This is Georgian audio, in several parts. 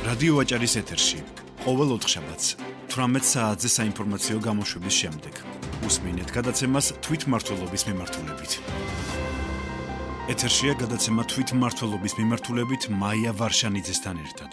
რადიო ვაჭარის ეთერში ყოველ ოთხშაბათს 18 საათზე საინფორმაციო გამოშვების შემდეგ უსმინეთ გადაცემას თვითმმართველობის მიმართულებით. ეთერშია გადაცემა თვითმმართველობის მიმართულებით მაია ვარშანიძესთან ერთად.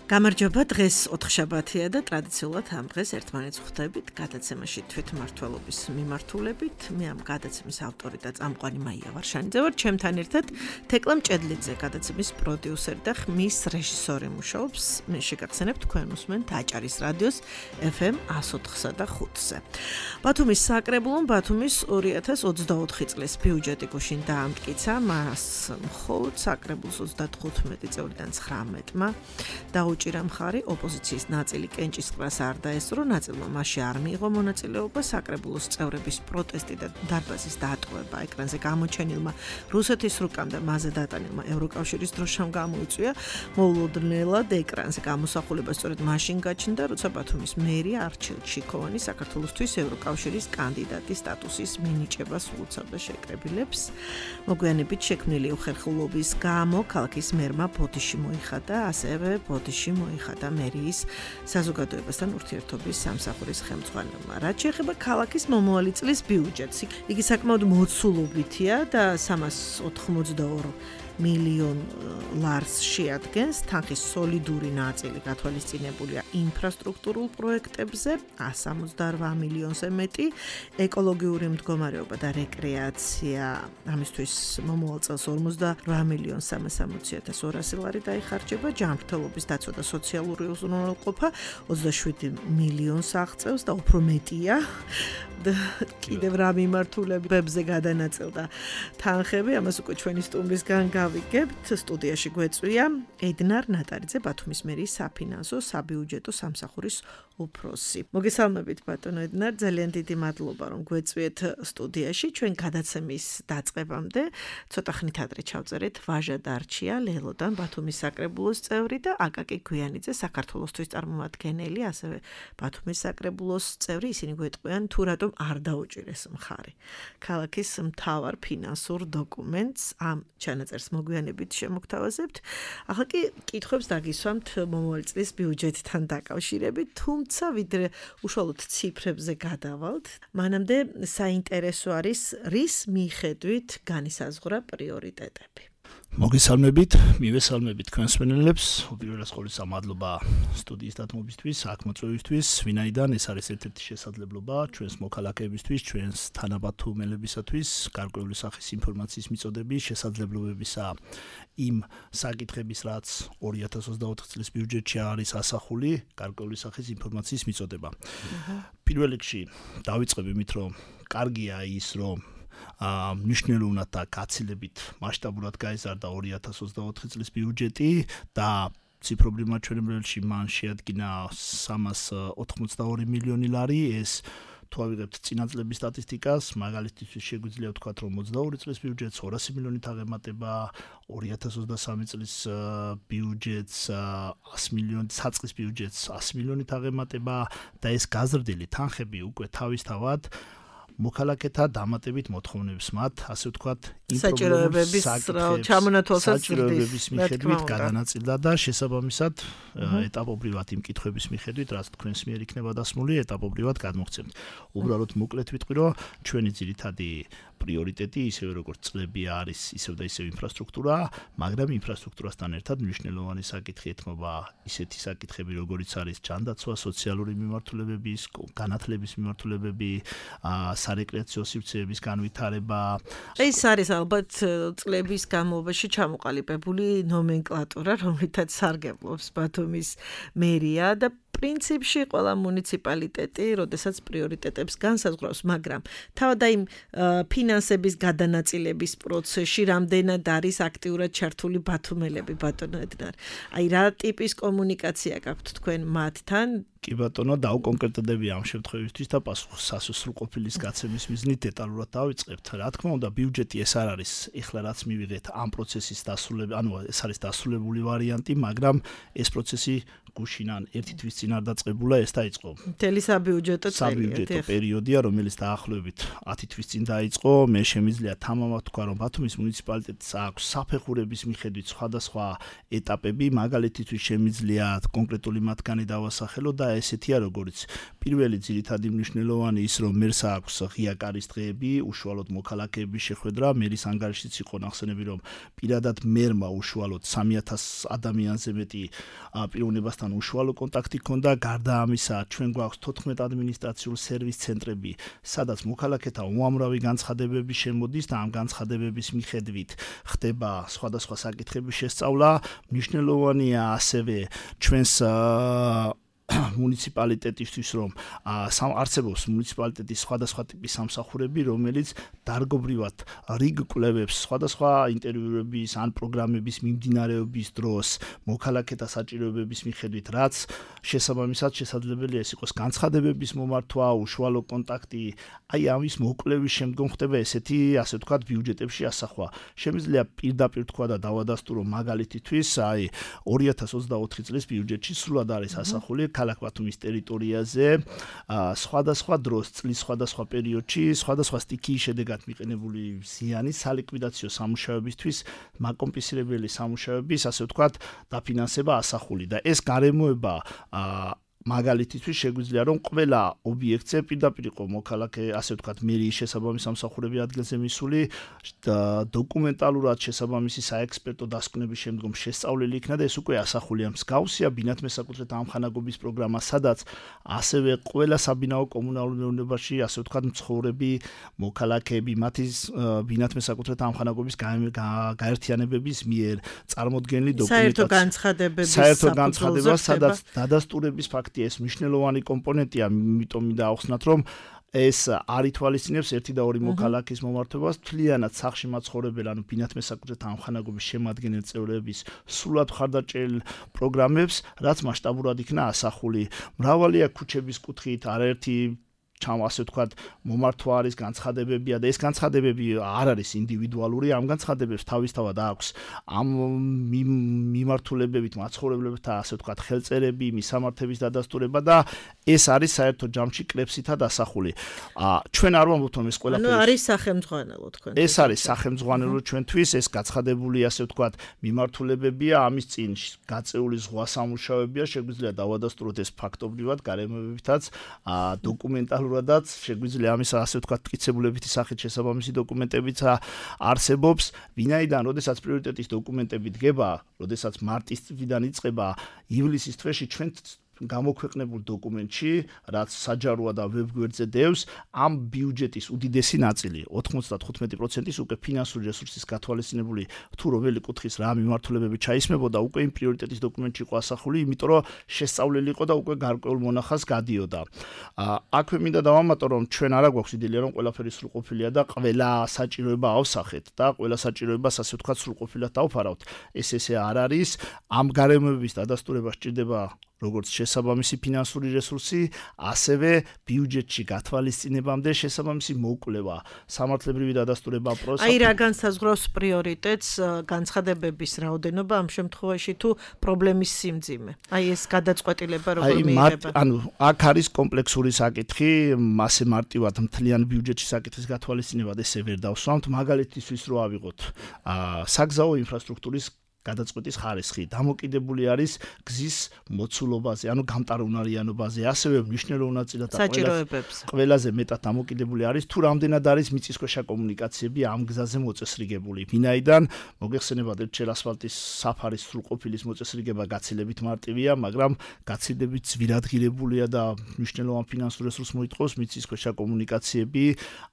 გამარჯობა, დღეს ოთხშაბათია და ტრადიციულად ამ დღეს ერთმანეთს ხვდებით გადაცემაში თვითმმართველობის მიმართულებით. მე ამ გადაცემის ავტორი და წამყვანი მაია ვარშანიძე ვარ, ჩემთან ერთად თეკლა მჭედლიძე, გადაცემის პროდიუსერი და ხმის რეჟისორი მუშაობს. მე შეგახსენებთ, თქვენ უსმენთ აჭარის რადიოს FM 104-სა და 5-ზე. ბათუმის საკრებულომ ბათუმის 2024 წლის ბიუჯეტი გუშინ დაამტკიცა, მას მხოლოდ საკრებულოს 35 წევრიდან 19-მა დაუჭირა მხარი, ოპოზიციის ნაწილი კენჭისყრას არ დაესწრო, ნაწილმა მასში არ მიიღო მონაწილეობა, საკრებულოს წევრების პროტესტი და დარბაზის დატოვება ეკრანზე გამოჩენილმა რუსეთის რუკამ და მასზე დატანილმა ევროკავშირის დროშამ გამოიწვია. მოულოდნელად ეკრანზე გამოსახულება სწორედ მაშინ გაჩნდა, როცა ბათუმის მერია არჩილ ჩიქოვანი საქართველოსთვის ევროკავშირის კანდიდატის სტატუსის მინიჭებას უწევდა შეკრებილებს. მოგვიანებით შექმნილი უხერხულობის გამო ქალაქის მერმა ბოდიში მოიხადა, ასევე ბოდიში მოიხადა მერიის საზოგადოებასთან ურთიერთობის სამსახურის ხელმძღვანელმა. რაც შეეხება ქალაქის მომავალი წლის ბიუჯეტს, იგი საკმაოდ მოცულობითია და 382 მილიონ ლარს შეადგენს. თანხის სოლიდური ნაწილი გათვალისწინებულია ინფრასტრუქტურულ პროექტებზე, 168 მილიონზე მეტი, ეკოლოგიური მდგომარეობა და რეკრეაცია, ამისთვის მომავალ წელს 48 მილიონ 360,200 ლარი დაიხარჯება, ჯანმრთელობის დაცვა და სოციალური უზრუნველყოფა 27 მილიონს აღწევს და უფრო მეტია. კიდევ რა მიმართულებებზე გადანაწილდა თანხები, ამას უკვე ჩვენი სტუმრისგან გავიგებთ. სტუდიაში გვეწვია ედნარ ნატარიძე, ბათუმის მერიის საფინანსო საბიუჯეტო სამსახურის უფროსი. მოგესალმებით ბატონო ედნარ, ძალიან დიდი მადლობა რომ გვეწვიეთ სტუდიაში. ჩვენ გადაცემის დაწყებამდე ცოტა ხნით ადრე ჩავწერეთ ვაჟა დარჩია ლელოდან, ბათუმის საკრებულოს წევრი და აკაკი გვიანიძე, საქართველოსთვის წარმომადგენელი, ასევე ბათუმის საკრებულოს წევრი. ისინი გვეტყვიან თუ რატომ არ დაუჭირეს მხარი ქალაქის მთავარ ფინანსურ დოკუმენტს. ამ ჩანაწერს მოგვიანებით შემოგთავაზებთ. ახლა კი კითხვებს დაგისვამთ მომავალი წლის ბიუჯეტთან დაკავშირებით, თუმცა ვიდრე უშუალოდ ციფრებზე გადავალთ, მანამდე საინტერესო არის რის მიხედვით განისაზღვრა პრიორიტეტები. მოგესალმებით, მივესალმებით თქვენს მსმენელებს. უპირველეს ყოვლისა მადლობა სტუდიის დათმობისთვის, აქ მოწვევისთვის, ვინაიდან ეს არის ერთ-ერთი შესაძლებლობა ჩვენს მოქალაქეებისთვის, ჩვენს თანაბათუმელებისათვის, გარკვეული სახის ინფორმაციის მიწოდების, შესაძლებლობებისა იმ საკითხების, რაც 2024 წლის ბიუჯეტში არის ასახული, გარკვეული სახის ინფორმაციის მიწოდება. პირველ რიგში დავიწყებ იმით, რომ კარგია ის, რომ მნიშვნელოვნად და გაცილებით მასშტაბურად გაიზარდა 2024 წლის ბიუჯეტი და ციფრობრივ მაჩვენებელში მან შეადგინა 382 მილიონი ლარი. ეს თუ ავიღებთ წინა წლების სტატისტიკას, მაგალითისთვის შეგვიძლია ვთქვათ, რომ 22 წლის ბიუჯეტს 200 მილიონით აღემატება, 2023 წლის ბიუჯეტს 100 მილიონით, საწყის ბიუჯეტს 100 მილიონით აღემატება და ეს გაზრდილი თანხები უკვე თავისთავად მოქალაქეთა დამატებით მოთხოვნებს მათ, ასე ვთქვათ, საჭიროებების მიხედვით გადანაწილდა და შესაბამისად ეტაპობრივად იმ კითხვების მიხედვით, რაც თქვენს მიერ იქნება დასმული, ეტაპობრივად გადმოგცემთ. უბრალოდ მოკლედ ვიტყვი, რომ ჩვენი ძირითადი პრიორიტეტი ისევე როგორც წლები არის, ისევ და ისევ ინფრასტრუქტურა, მაგრამ ინფრასტრუქტურასთან ერთად მნიშვნელოვანი საკითხი ეთმობა ისეთი საკითხები, როგორიც არის ჯანდაცვა, სოციალური მიმართულებების, განათლების მიმართულებები, სარეკრეაციო სივრცეების განვითარება. ეს არის ალბათ წლების განმავლობაში ჩამოყალიბებული ნომენკლატურა, რომლითაც სარგებლობს ბათუმის მერია და პრინციპში ყველა მუნიციპალიტეტი, როდესაც პრიორიტეტებს განსაზღვრავს, მაგრამ თავად აი ფინანსების გადანაწილების პროცესში რამდენად არის აქტიურად ჩართული ბათუმელები, ბატონო ედნარ. აი რა ტიპის კომუნიკაცია გაქვთ თქვენ მათთან? კი ბატონო, დაუკონკრეტდები ამ შემთხვევისთვის და პასუხს სრულყოფილის გაცემის მიზნით დეტალურად დავიწყებთ. Რა თქმა უნდა, ბიუჯეტი ეს არ არის ეხლა რაც მივიღეთ ამ პროცესის დასრულება, ეს არის დასრულებული ვარიანტი, მაგრამ ეს პროცესი გუშინან ერთი თვის წინ არ დაწყებულა, ეს დაიწყო. მთელი საბიუჯეტო პერიოდია, რომელიც დაახლოებით 10 თვის წინ დაიწყო. მე შემიძლია თამამად თქვა, რომ ბათუმის მუნიციპალიტეტს აქვს საფეხურების მიხედვით სხვადასხვა ეტაპები, მაგალითისთვის შემიძლია კონკრეტული მათგანი დავასახელო და ესეთია, როგორც პირველი ძირითადი მნიშვნელოვანი ის, რომ მერს აქვს ღია კარის დღეები, უშუალოდ მოქალაქეების შეხვედრა, მერის ანგარიშიც იყო ნახსენები, რომ პირადად მერმა უშუალოდ 3000 ადამიანზე მეტი პიროვნებასთან უშუალო კონტაქტი ჰქონდა. გარდა ამისა, ჩვენ გვაქვს 14 ადმინისტრაციულ სერვის ცენტრები, სადაც მოქალაქეთა უამრავი განცხადებები შემოდის და ამ განცხადებების მიხედვით ხდება სხვადასხვა საკითხების შესწავლა. მნიშვნელოვანია ასევე ჩვენს მუნიციპალიტეტისთვის, რომ არსებობს მუნიციპალიტეტის სხვადასხვა ტიპის სამსახურები, რომელიც დარგობრივად რიგ კვლევებს სხვადასხვა ინტერვიუების ან პროგრამების მიმდინარეობის დროს მოქალაქეთა საჭიროებების მიხედვით, რაც შესაბამისად შესაძლებელია ეს იყოს განცხადებების მომართვა, უშუალო კონტაქტი, აი ამის მოკვლევის შემდგომ ხდება ესეთი, ასე ვთქვათ, ბიუჯეტებში ასახვა. შემიძლია პირდაპირ თქვა და დავადასტურო მაგალითისთვის, აი 2024 წლის ბიუჯეტში სრულად არის ასახული ქალაქ ბათუმის ტერიტორიაზე სხვადასხვა დროს, წლის სხვადასხვა პერიოდში, სხვადასხვა სტიქიის შედეგად მიყენებული ზიანი სალიკვიდაციო სამუშაოებისთვის, მაკომპენსირებელი სამუშაოების, ასე ვთქვათ, დაფინანსება ასახული და ეს გარემოება მაგალითისთვის შეგვიძლია რომ ყველა ობიექტზე პირდაპირ იყო მოქალაქე, ასე ვთქვათ, მერიის შესაბამის სამსახურები ადგილზე მისული და დოკუმენტალურად შესაბამისი საექსპერტო დასკვნების შემდგომ შესწავლილი იქნა და ეს უკვე ასახულია. მსგავსია ბინათ მესაკუთრეთა ამხანაგობის პროგრამა, სადაც ასევე ყველა საბინაო კომუნალურ მეურნეობაში, ასე ვთქვათ, მცხოვრები მოქალაქეები, მათი ბინათ მესაკუთრეთა ამხანაგობის გაერთიანებების მიერ წარმოდგენილი დოკუმენტაცია, საერთო განცხადება, სადაც დადასტურების ფაქტი ეს მნიშვნელოვანი კომპონენტია, იმიტომ დაახსნათ, რომ ეს არ ითვალისწინებს ერთი და ორი მოქალაქის მომართვებას, თლიანად სახლში მაცხოვრებელ, ანუ ბინათ მესაკუთრეთა ამხანაგობის შემადგენელ წევრების სრულად მხარდაჭერილ პროგრამებს, რაც მასშტაბურად იქნა ასახული. მრავალია ქუჩების კუთხით, არაერთი ასე ვთქვათ, მომართვა არის, განცხადებებია და ეს განცხადებები არ არის ინდივიდუალური, ამ განცხადებებს თავისთავად აქვს ამ მიმართულებებით მაცხოვრებლებთან, ასე ვთქვათ, ხელწერები, მისამართების დადასტურება და ეს არის საერთო ჯამში კრებსითად ასახული. ჩვენ არ ვამბობთ, რომ ეს ყველაფერი არის სახელმძღვანელო თქვენ. ეს არის სახელმძღვანელო ჩვენთვის, ეს გაცხადებული, ასე ვთქვათ, მიმართულებებია, ამის წინ გაწეული ზღვა სამუშაოებია, შეგვიძლია დავადასტუროთ ეს ფაქტობრივად, გარემოებებითაც, დოკუმენტალურადაც შეგვიძლია ამის ასე ვთქვათ მტკიცებულებითი სახით შესაბამისი დოკუმენტებიც არსებობს, ვინაიდან როდესაც პრიორიტეტის დოკუმენტები დგება, როდესაც მარტის თვიდან იწყება ივლისის თვეში ჩვენ გამოქვეყნებულ დოკუმენტში, რაც საჯაროა და ვებგვერდზე დევს, ამ ბიუჯეტის უდიდესი ნაწილი, 95%-ის უკვე ფინანსური რესურსის გათვალისწინებული თუ რომელი კუთხის რა მიმართულებები ჩაისმებოდა, უკვე იმ პრიორიტეტის დოკუმენტში იყო ასახული, იმიტომ რომ შესწავლილი იყო და უკვე გარკვეულ მონახაზს გადიოდა. აქვე მინდა დავამატო, რომ ჩვენ არა გვაქვს იდეა, რომ ყველაფერი სრულყოფილია და ყველა საჭიროება ავსახეთ და ყველა საჭიროებას ასე ვთქვათ სრულყოფილად დავფარავთ. ესე არ არის. ამ გარემოების დადასტურება სჭირდება როგორც შესაბამისი ფინანსური რესურსი, ასევე ბიუჯეტში გათვალისწინებამდე შესაბამისი მოკვლევა, სამართლებრივი დადასტურება პროცესი. აი რა განსაზღვრავს პრიორიტეტს, განცხადებების რაოდენობა ამ შემთხვევაში თუ პრობლემის სიმძიმე. აი ეს გადაწყვეტილება როგორ მიიღება? ანუ აქ არის კომპლექსური საკითხი, ასე მარტივად მთლიან ბიუჯეტში საკითხის გათვალისწინებად ესე ვერ დავსვამთ, მაგალითისთვის რო ავიღოთ საგზაო ინფრასტრუქტურის გადაწყვეტის ხარისხი დამოკიდებული არის გზის მოცულობაზე, ანუ გამტარუნარიანობაზე, ასევე მნიშვნელოვნად ყველაზე მეტად დამოკიდებული არის თუ რამდენად არის მიწისქვეშა კომუნიკაციები ამ გზაზე მოწესრიგებული. ვინაიდან მოგეხსენებათ ერთჩერ ასფალტის საფარის სრულყოფილის მოწესრიგება გაცილებით მარტივია, მაგრამ გაცილებით ძვირადღირებულია და მნიშვნელოვან ფინანსურ რესურსს მოითხოვს მიწისქვეშა კომუნიკაციები,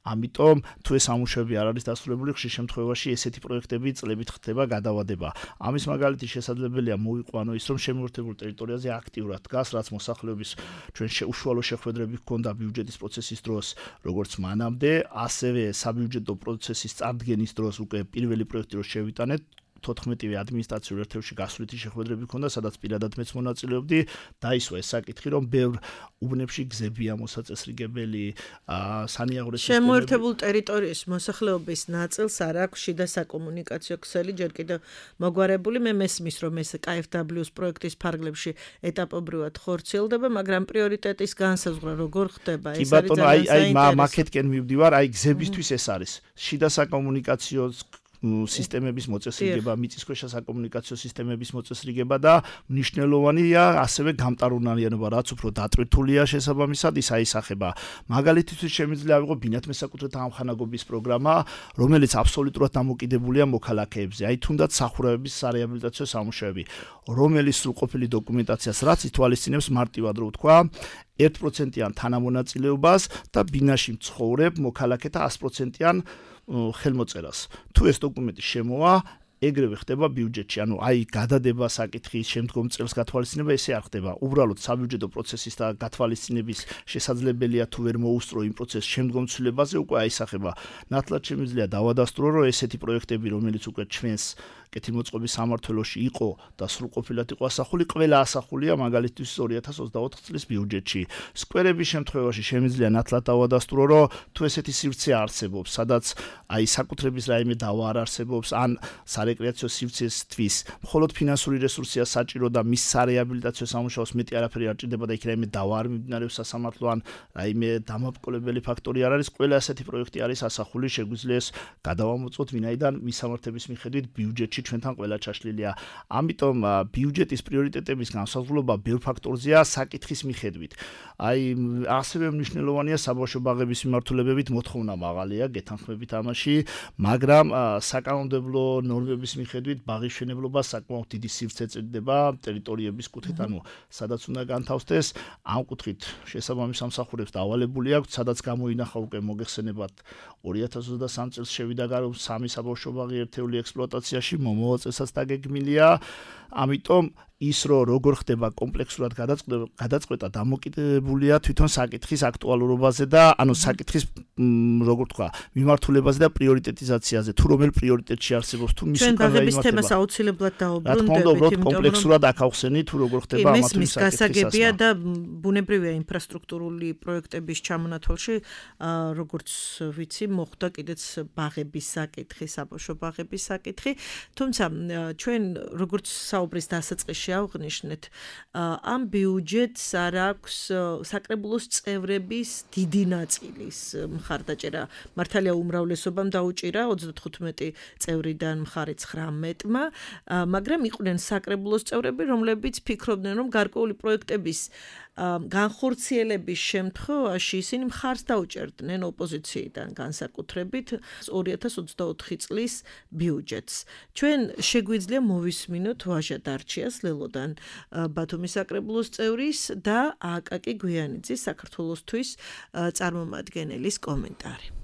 ამიტომ თუ ეს სამუშაოები არ არის დასრულებული, ხშირ შემთხვევაში ესეთი პროექტები წლებით ხდება გადავადება. ამის მაგალითი შესაძლებელია მოიყვანო ის, რომ შემოერთებულ ტერიტორიაზე აქტიურად დგას, რაც მოსახლეობის ჩვენ უშუალო შეხვედრები ჰქონდა ბიუჯეტის პროცესის დროს, როგორც მანამდე, ასევე საბიუჯეტო პროცესის წარდგენის დროს უკვე პირველი პროექტი რო შევიტანეთ, 14-ვე ადმინისტრაციულ ერთეულში გასვლითი შეხვედრები ჰქონდა, სადაც პირადად მეც მონაწილეობდი, დაისვა ეს საკითხი, რომ ბევრ უბნებში გზებია მოსაწესრიგებელი, სანიაღვრე სისტემები. შემოერთებულ ტერიტორიის მოსახლეობის ნაწილს არ აქვს შიდა საკომუნიკაციო ქსელი, ჯერ კიდევ მოგვარებული. მე მესმის, რომ ეს KfW-ს პროექტის ფარგლებში ეტაპობრივად ხორციელდება, მაგრამ პრიორიტეტის განსაზღვრა როგორ ხდება? ეს არის ძალიან საინტერესო. მაკეთკენ მივდივარ, გზებისთვის ეს არის. შიდა საკომუნიკაციო სისტემების მოწესრიგება, მიწისქვეშა საკომუნიკაციო სისტემების მოწესრიგება და მნიშვნელოვანია ასევე გამტარუნალიანობა, რაც უფრო დატვირთულია შესაბამისად ის აისახება. მაგალითისთვის შემიძლია ავიღო ბინათ მესაკუთრეთა ამხანაგობის პროგრამა, რომელიც აბსოლუტურად დამოკიდებულია მოქალაქეებზე. თუნდაც სახურავების სარეაბილიტაციო სამუშაოები, რომელიც სრულყოფილი დოკუმენტაციას რაც ითვალისწინებს მარტივად რო ვთქვა 1%-იან თანამონაწილეობას და ბინაში მცხოვრებ მოქალაქეთა 100%-იან ხელმოწერას. თუ ეს დოკუმენტი შემოვა, ეგრევე ხდება ბიუჯეტში, გადადება საკითხის შემდგომ წელს გათვალისწინება ესე არ ხდება. უბრალოდ საბიუჯეტო პროცესის და გათვალისწინების შესაძლებელია თუ ვერ მოუსწრო იმ პროცესს შემდგომ ცვლილებაზე უკვე აისახება. ნათლად შემიძლია დავადასტურო, რომ ესეთი პროექტები, რომელიც უკვე ჩვენს კეთილმოწყობის სამმართველოში იყო და სრულყოფილად იყო ასახული, ყველა ასახულია მაგალითთვის 2024 წლის ბიუჯეტში. სკვერების შემთხვევაში შემიძლია ნათლად დავადასტურო, რომ თუ ესეთი სივრცე არსებობს, სადაც საკუთრების რაიმე დავა არ არსებობს, ან სარეკრეაციო სივრცესთვის მხოლოდ ფინანსური რესურსია საჭირო და მის სარეაბილიტაციო სამუშაოს მეტი არაფერი არ ჭირდება და იქ რაიმე დავა არ მიმდინარეობს სასამართლო ან რაიმე დამაბკოლებელი ფაქტორი არ არის, ყველა ასეთი პროექტი არის ასახული, შეგვიძლია ეს გადავამოწმოთ, ვინაიდან მისამართების მიხედვით ბიუჯეტში ჩვენთან ყველა ჩაშლილია. ამიტომ ბიუჯეტის პრიორიტეტების განსაზღვრება ბევრ ფაქტორზეა საკითხის მიხედვით. ასევე მნიშვნელოვანია საბავშვო ბაღების მიმართულებებით მოთხოვნა მაღალია, გეთანხმებით ამაში, მაგრამ საკანონმდებლო ნორმების მიხედვით ბაღის მშენებლობა საკმაოდ დიდი სივრცე წერდება ტერიტორიების კუთხით, სადაც უნდა განთავსდეს, ამ კუთხით შესაბამის სამსახურებს დავალებული აქვს, სადაც გამოინახა უკვე მოგეხსენებათ 2023 წელს შევიდა გარო 3 საბავშვო ბაღი ერთეული ექსპლუატაციაში, მომავალ წელსაც დაგეგმილია. ამიტომ ის როგორ ხდება კომპლექსურად გადაწყვეტა დამოკიდებულია თვითონ საკითხის აქტუალურობაზე და საკითხის როგორ თქვა მიმართულებაზე და პრიორიტეტიზაციაზე, თუ რომელ პრიორიტეტში არსებობს, თუ მის უკან გაიმართება. ჩვენ ბაღების თემას აუცილებლად დაუბრუნდებით, იმიტომ რომ კომპლექსურად აქ ავხსენი, თუ როგორ ხდება ამათი საკითხის გასაგებია და ბუნებრივია ინფრასტრუქტურული პროექტების ჩამონათვალში, როგორც ვიცი, მოხდა კიდეც ბაღების საკითხი, საბავშვო ბაღების საკითხი, თუმცა ჩვენ როგორც საუბრის დასაწყისში ავღნიშნეთ, ამ ბიუჯეტს არ აქვს საკრებულოს წევრების დიდი ნაწილის მხარდაჭერა. მართალია უმრავლესობამ დაუჭირა 35 წევრიდან მხარი 19-მა, მაგრამ იყვნენ საკრებულოს წევრები, რომლებიც ფიქრობდნენ, რომ გარკვეული პროექტების განხორციელების შემთხვევაში ისინი მხარს დაუჭერდნენ ოპოზიციიდან განსაკუთრებით 2024 წლის ბიუჯეტს. ჩვენ შეგვიძლია მოვისმინოთ ვაჟა დარჩიას ლელოდან ბათუმის საკრებულოს წევრის და აკაკი გვიანიძის საქართველოსთვის წარმომადგენელის კომენტარი.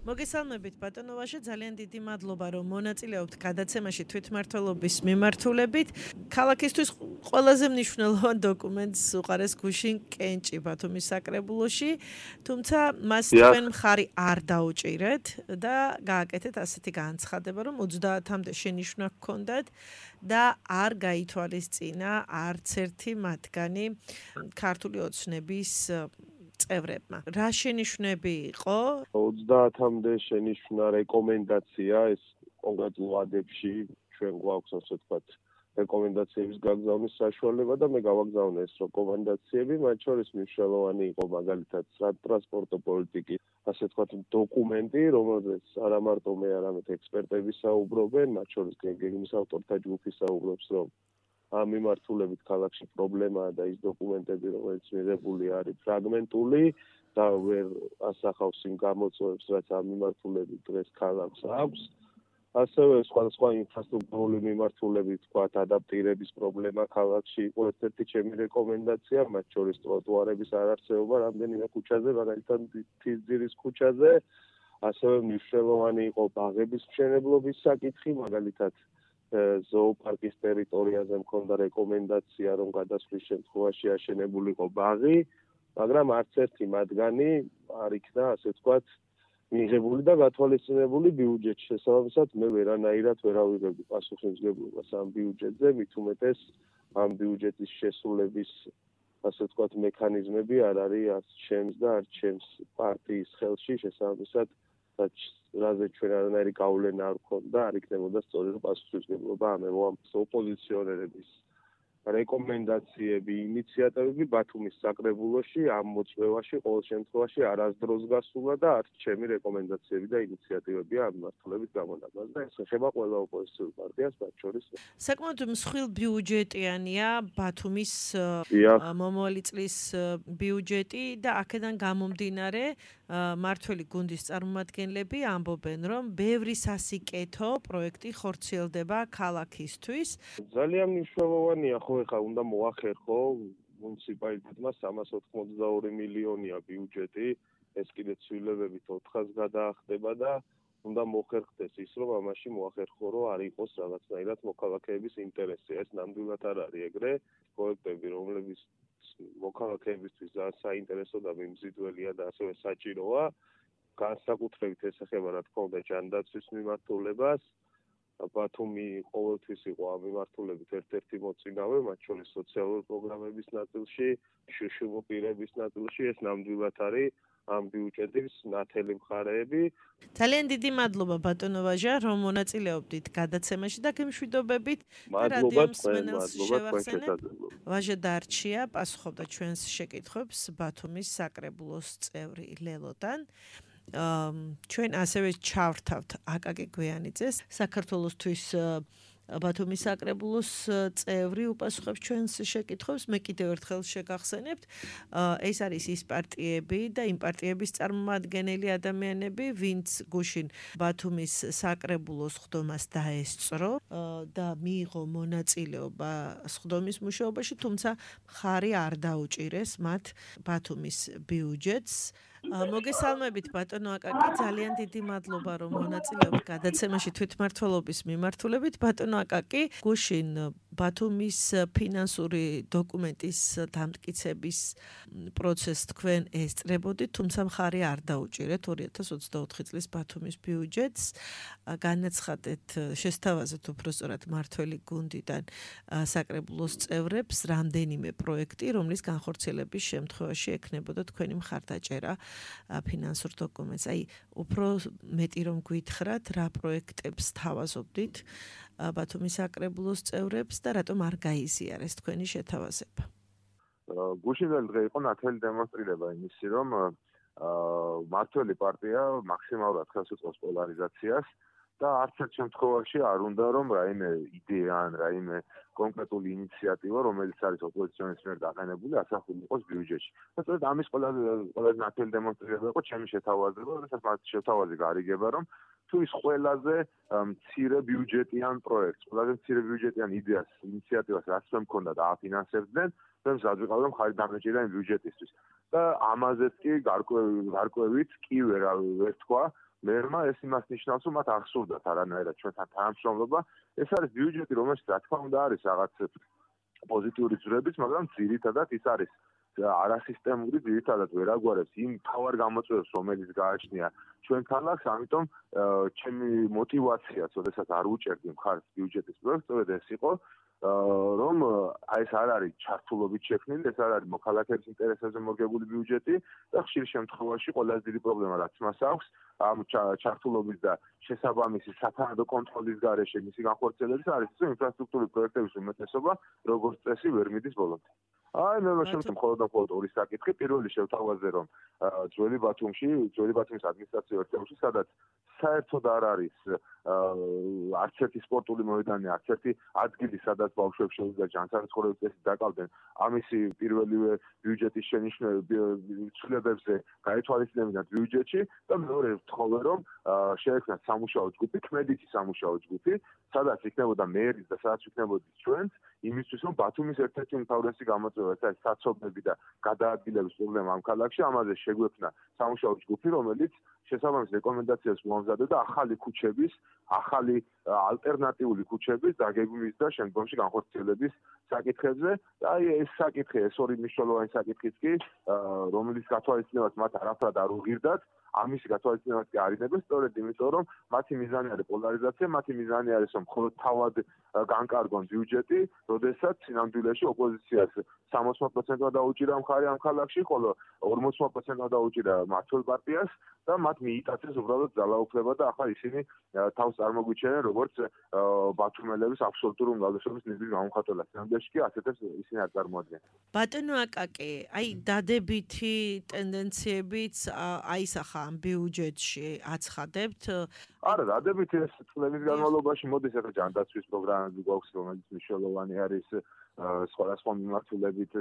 მოგესალმებით ბატონო ვაჟა, ძალიან დიდი მადლობა რომ მონაწილეობთ გადაცემაში თვითმმართველობის მიმართულებით. ქალაქისთვის ყველაზე მნიშვნელოვან დოკუმენტს უყარეს გუშინ კენჭი ბათუმის საკრებულოში, თუმცა მას თქვენ მხარი არ დაუჭირეთ და გააკეთეთ ასეთი განცხადება, რომ 30-მდე შენიშვნა გქონდათ და არ გაითვალისწინა არც ერთი მათგანი ქართული ოცნების წევრებმა. რა შენიშვნები იყო? 30-მდე შენიშვნა რეკომენდაცია, ეს კონკრეტულ ვადებში ჩვენ გვაქვს ასე ვთქვათ რეკომენდაციების გაგზავნის საშუალება და მე გავაგზავნე ეს რეკომენდაციები, მათ შორის მნიშვნელოვანი იყო მაგალითად სატრანსპორტო პოლიტიკის ასე ვთქვათ დოკუმენტი, რომელზეც არა მარტო მე, არამედ ექსპერტები საუბრობენ, მათ შორის გეგმის ავტორთა ჯგუფი საუბრობს, რომ ამ მიმართულებით ქალაქში პრობლემაა და ის დოკუმენტები, რომელიც მიღებული არის ფრაგმენტული და ვერ ასახავს იმ გამოწვევებს, რაც ამ მიმართულებით დღეს ქალაქს აქვს. ასევე სხვადასხვა ინფრასტრუქტურული მიმართულებით, თქვათ, ადაპტირების პრობლემა ქალაქში იყო ერთ-ერთი ჩემი რეკომენდაცია, მათ შორის ტროტუარების არარსებობა რამდენიმე ქუჩაზე, მაგალითად თისძირის ქუჩაზე. ასევე მნიშვნელოვანი იყო ბაღების მშენებლობის საკითხი, მაგალითად ზოოპარკის ტერიტორიაზე მქონდა რეკომენდაცია, რომ გადასვლის შემთხვევაში აშენებულიყო ბაღი, მაგრამ არც ერთი მათგანი არ იქნა, ასე ვთქვათ, მიღებული და გათვალისწინებული ბიუჯეტი. შესაბამისად, მე ვერანაირად ვერ ავიღებდი პასუხისმგებლობას ამ ბიუჯეტზე, მით უმეტეს ამ ბიუჯეტის შესრულების ასე ვთქვათ მექანიზმები არ არის არც ჩემს და არც ჩემს პარტიის ხელში, შესაბამისად, რაზე ჩვენ არანაირი გავლენა არ ქონდა, არ იქნებოდა სწორი პასუხისმგებლობა ამ ოპოზიციონერების რეკომენდაციები, ინიციატივები ბათუმის საკრებულოში ამ მოწვევაში ყოველ შემთხვევაში არასდროს გასულა და არც ჩემი რეკომენდაციები და ინიციატივებია ამ მართლობის გამონაბას და ეს ეხება ყველა ოპოზიციურ პარტიას, მათ შორის. საკმაოდ მსხვილ ბიუჯეტიანია ბათუმის მომავალი წლის ბიუჯეტი და აქედან გამომდინარე მართველი გუნდის წარმომადგენლები ამბობენ, რომ ბევრი სასიკეთო პროექტი ხორციელდება ქალაქისთვის. ძალიან მნიშვნელოვანია ხო ეხლა უნდა მოახერხო მუნიციპალიტეტმა 382 მილიონია ბიუჯეტი, ეს კიდე ცვლილებებით 400-ს გადაახდება და უნდა მოხერხდეს ის, რომ ამაში მოახერხო, რომ არ იყოს რაღაცნაირად მოქალაქეების ინტერესი. ეს ნამდვილად არ არის ეგრე პროექტები, რომლებიც მოქალაქეებისთვის ძალიან საინტერესო და მიმზიდველია და ასევე საჭიროა. განსაკუთრებით ეს ეხება რა თქმა უნდა ჯანდაცვის მიმართულებას. ბათუმი ყოველთვის იყო ამ მიმართულებით ერთ-ერთი მოწინავე, მათ შორის სოციალური პროგრამების ნაწილში, შშმ პირების ნაწილში, ეს ნამდვილად არის ამ ბიუჯეტის ნათელი მხარეები. ძალიან დიდი მადლობა ბატონო ვაჟა, რომ მონაწილეობდით გადაცემაში და გემშვიდობებით. მადლობა თქვენ. ვაჟა დარჩია პასუხობდა ჩვენს შეკითხვებს ბათუმის საკრებულოს წევრი ლელოდან. ჩვენ ასევე ჩავრთავთ აკაკი გვიანიძეს, საქართველოსთვის ბათუმის საკრებულოს წევრი უპასუხებს ჩვენს შეკითხვებს. მე კიდევ ერთხელ შეგახსენებთ, ეს არის ის პარტიები და იმ პარტიების წარმომადგენელი ადამიანები, ვინც გუშინ ბათუმის საკრებულოს სხდომას დაესწრო და მიიღო მონაწილეობა სხდომის მუშაობაში, თუმცა მხარი არ დაუჭირეს მათ ბათუმის ბიუჯეტს. მოგესალმებით ბატონო აკაკი, ძალიან დიდი მადლობა რომ მონაწილეობთ გადაცემაში თვითმმართველობის მიმართულებით. ბატონო აკაკი, გუშინ ბათუმის ფინანსური დოკუმენტის დამტკიცების პროცესს თქვენ ესწრებოდით, თუმცა მხარი არ დაუჭირეთ 2024 წლის ბათუმის ბიუჯეტს. განაცხადეთ, შესთავაზეთ უბრალოდ მართველი გუნდიდან საკრებულოს წევრებს რამდენიმე პროექტი, რომლის განხორციელების შემთხვევაში ექნებოდა თქვენი მხარდაჭერა ფინანსურ დოკუმენტს. აი, უფრო მეტი რომ გითხრათ, რა პროექტებს თავაზობდით ბათუმის საკრებულოს წევრებს და რატომ არ გაიზიარეს თქვენი შეთავაზება? გუშინდელი დღე იყო ნათელი დემონსტრირება იმისი, რომ მართველი პარტია მაქსიმალურად ხელს უწყობს პოლარიზაციას და არც ერთ შემთხვევაში არ უნდა რომ რაიმე იდეა ან რაიმე კონკრეტული ინიციატივა, რომელიც არის ოპოზიციონის მიერ დაყენებული, ასახული იყოს ბიუჯეტში. და სწორედ ამის ყველაზე ნათელი დემონსტრირება იყო ჩემი შეთავაზება, როდესაც მათ შეთავაზი გარიგება, რომ თუ ის ყველაზე მცირე ბიუჯეტიან პროექტს, ყველაზე მცირე ბიუჯეტიან იდეას, ინიციატივას რაც მე მქონდა და აფინანსებდნენ, მე მზადვიყავ რომ ხარი დამეჭირდა იმ ბიუჯეტისთვის. და ამაზეც კი გარკვევით კი ვერ თქვა მერმა, ეს იმას ნიშნავს, რომ მათ ახსოვდათ არანაირად ჩვენთან თანამშრომლობა. ეს არის ბიუჯეტი, რომელშიც რა თქმა უნდა არის რაღაც პოზიტიური ძვრებიც, მაგრამ ძირითადად ის არის არასისტემური, ძირითადად ვერ აგვარებს იმ თავარ გამოწვევებს, რომელიც გააჩნია ჩვენ ქალაქს, ამიტომ ჩემი мотиваციაც, როდესაც არ უჭერდი მხარს ბიუჯეტის პროექტს, სწორედ ეს იყო, რომ ეს არ არის ჩართულობით შექმნილი, ეს არ არის მოქალაქეების ინტერესებზე მორგებული ბიუჯეტი და ხშირ შემთხვევაში ყველაზე დიდი პრობლემა რაც მას აქვს, ამ ჩართულობის და შესაბამისი სათანადო კონტროლის გარეშე მისი განხორციელების არის ის, რომ ინფრასტრუქტურული პროექტების უმეტესობა როგორც წესი ვერ მიდის ბოლომდე. აი მე შემთხვევით მხოლოდ ორი საკითხი. პირველი შევთავაზე, რომ ძველი ბათუმის ადმინისტრაციულ ერთეულში, სადაც საერთოდ არ არის არც ერთი სპორტული მოედანი, არც ერთი ადგილი, სადაც ბავშვებს შეუძლია ჯანსაღმწევრების წესით დაკავდნენ, ამისი პირველივე ბიუჯეტის ცვლილებებზე გაეთვალისწინებინათ ბიუჯეტში და მეორე ვთხოვე, რომ შეექმნათ სამუშაო ჯგუფი, ქმედითი სამუშაო ჯგუფი, სადაც იქნებოდა მერის და სადაც იქნებოდით ჩვენც, იმისთვის, რომ ბათუმის ერთ-ერთი უმთავრესი გამოწვევა, ეს არის საცობები და გადაადგილების პრობლემა ამ ქალაქში, ამაზე შეგვექმნა სამუშაო ჯგუფი, რომელიც შესაბამის რეკომენდაციას მოამზადა ახალი ქუჩების, ახალი ალტერნატიული ქუჩების დაგეგმვის და შემდგომში განხორციელების საკითხებზე. და აი ეს საკითხი, ეს ორი მნიშვნელოვანი საკითხიც კი, რომელიც გათვალისწინებას მათ არაფრად არ უღირდათ, ამის გათვალისწინებაც კი არიდებენ სწორედ იმიტომ რომ მათი მიზანი არის პოლარიზაცია, მათი მიზანი არის რომ მხოლოდ თავად განკარგონ ბიუჯეტი, როდესაც სინამდვილეში ოპოზიციას 60%-ად დაუჭირა მხარი ამ ქალაქში, ხოლო 40%-ად დაუჭირა მართლ პარტიას და მათ მიიტაცეს უბრალოდ ძალაუფლება და ახლა ისინი თავს წარმოგვიჩენენ როგორც ბათუმელების აბსოლუტური უმრავლესობის ნების გამომხატველად. სინამდვილეში კი ასეთებს ისინი არ წარმოადგენენ. ბატონო აკაკი, აი დადებითი ტენდენციებიც აისახა ამ ბიუჯეტში აცხადებთ? არა, დადებითი ეს წლების განმავლობაში მოდის ახლა ჯანდაცვის პროგრამები გვაქვს, რომელიც მნიშვნელოვანი არის სხვადასხვა მიმართულებით